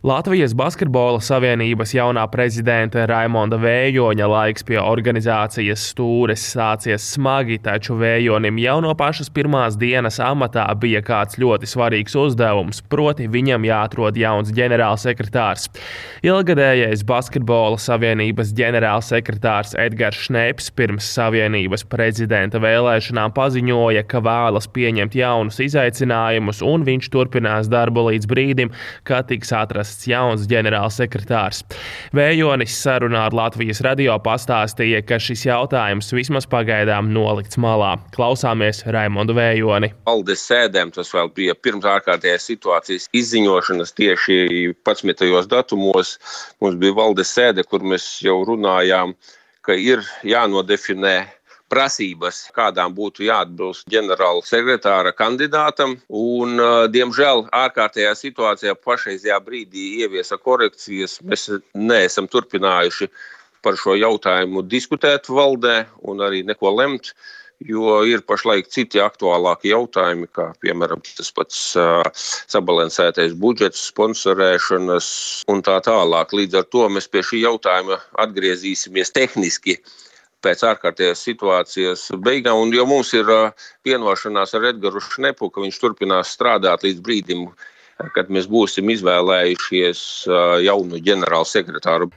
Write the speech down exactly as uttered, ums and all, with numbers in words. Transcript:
Latvijas Basketbola savienības jaunā prezidenta Raimonda Vējoņa laiks pie organizācijas stūres sācies smagi, taču Vējonim jau no pašas pirmās dienas amatā bija kāds ļoti svarīgs uzdevums, proti viņam jāatrod jauns ģenerālsekretārs. Ilgadējais Basketbola savienības ģenerālsekretārs Edgars Šneps pirms savienības prezidenta vēlēšanām paziņoja, ka vēlas pieņemt jaunus izaicinājumus un viņš turpinās darbu līdz brīdim, kad tiks atrasts jauns ģenerālsekretārs. Vējonis sarunā ar Latvijas radio pastāstīja, ka šis jautājums vismaz pagaidām nolikts malā. Klausāmies Raimondu Vējoni. Valdes sēdēm tas vēl bija pirms ārkārtējās situācijas izziņošanas tieši padsmitajos datumos. Mums bija valdes sēde, kur mēs jau runājām, ka ir jānodefinē prasības, kādām būtu jāatbilst ģenerāla sekretāra kandidātam, un, diemžēl, ārkārtējā situācijā pašreizajā brīdī ieviesa korekcijas. Mēs neesam turpinājuši par šo jautājumu diskutēt valdē un arī neko lemt, jo ir pašlaik citi aktuālāki jautājumi, kā, piemēram, tas pats uh, sabalansētais budžets, sponsorēšanas un tā tālāk. Līdz ar to mēs pie šī jautājuma atgriezīsimies tehniski pēc ārkārtējās situācijas beigām, un jo mums ir vienošanās ar Edgaru Šnepu, ka viņš turpinās strādāt līdz brīdim, kad mēs būsim izvēlējušies jaunu ģenerālu sekretāru.